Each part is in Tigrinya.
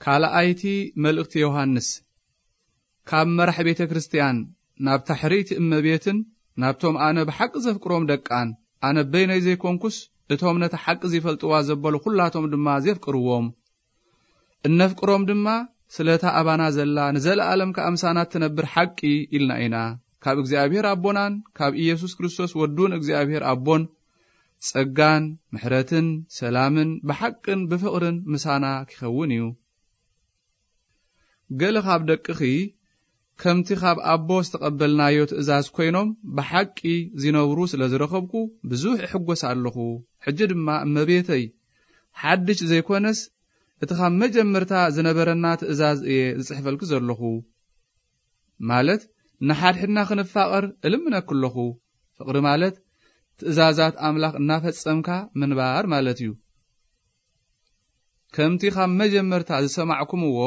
ካልኣይቲ መልእኽቲ ዮሃንስ። ካብ መራሕ ቤተ ክርስቲያን ናብታ ሕርይቲ እመቤትን ናብቶም ኣነ ብሓቂ ዘፍቅሮም ደቃን፣ ኣነ በይነይ ዘይኮንኩስ፣ እቶም ነቲ ሓቂ ዚፈልጥዋ ዘበሉ ኹላቶም ድማ ዜፍቅርዎም። እነፍቅሮም ድማ ስለታ ኣባና ዘላ ንዘለኣለም ከኣ ምሳና እትነብር ሓቂ ኢልና ኢና። ካብ እግዚኣብሔር ኣቦናን ካብ ኢየሱስ ክርስቶስ ወዱን እግዚኣብሔር ኣቦን ጸጋን ምሕረትን ሰላምን ብሓቅን ብፍቕርን ምሳና ኪኸውን እዩ። ገለ ካብ ደቅኺ ከምቲ ካብ ኣቦ ዝተቐበልናዮ ትእዛዝ ኮይኖም ብሓቂ ዚነብሩ ስለ ዝረኸብኩ ብዙሕ እሕጎስ ኣለኹ። ሕጂ ድማ እመቤተይ፣ ሓድሽ ዘይኮነስ እቲ ካብ መጀመርታ ዝነበረና ትእዛዝ እየ ዝጽሕፈልኪ ዘለኹ። ማለት ንሓድሕድና ክንፋቐር እልምነኪ ኣለኹ። ፍቕሪ ማለት ትእዛዛት ኣምላኽ እናፈጸምካ ምንባር ማለት እዩ። ከምቲ ካብ መጀመርታ ዝሰማዕኩምዎ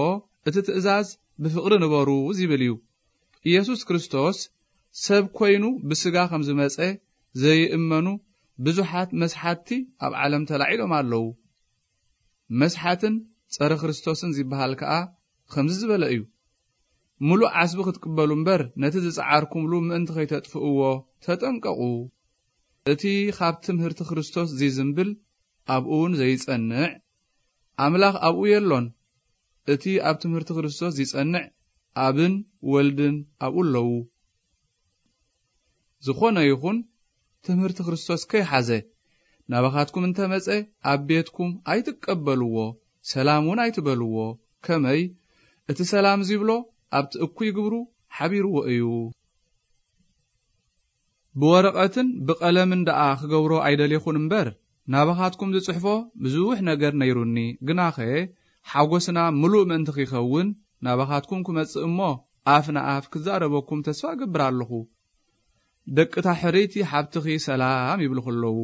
እቲ ትእዛዝ ብፍቕሪ ንበሩ ዚብል እዩ። ኢየሱስ ክርስቶስ ሰብ ኮይኑ ብስጋ ከም ዝመጸ ዘይእመኑ ብዙሓት መስሓትቲ ኣብ ዓለም ተላዒሎም ኣለዉ። መስሓትን ጸረ ክርስቶስን ዚበሃል ከኣ ከምዚ ዝበለ እዩ። ምሉእ ዓስቢ ክትቅበሉ እምበር ነቲ ዝጸዓርኩምሉ ምእንቲ ከይተጥፍእዎ ተጠንቀቑ። እቲ ካብ ትምህርቲ ክርስቶስ ዚዝንብል ኣብኡ እውን ዘይጸንዕ፣ ኣምላኽ ኣብኡ የሎን። እቲ ኣብ ትምህርቲ ክርስቶስ ዚጸንዕ ኣብን ወልድን ኣብኡ ኣለዉ። ዝኾነ ይኹን ትምህርቲ ክርስቶስ ከይሓዘ ናባኻትኩም እንተመጸ ኣብ ቤትኩም ኣይትቀበልዎ፣ ሰላም እውን ኣይትበልዎ። ከመይ እቲ ሰላም ዚብሎ ኣብቲ እኩይ ግብሩ ሓቢርዎ እዩ። ብወረቐትን ብቐለምን ደኣ ክገብሮ ኣይደሌኹን እምበር፣ ናባኻትኩም ዝጽሕፎ ብዙሕ ነገር ነይሩኒ። ግናኸ ሓጎስና ምሉእ ምእንቲ ኺኸውን ናባኻትኩም ክመጽእ እሞ፣ ኣፍ ንኣፍ ክዛረበኩም ተስፋ እገብር ኣለኹ። ደቅታ ሕርይቲ ሓብትኺ ሰላም ይብልኹ ኣለዉ።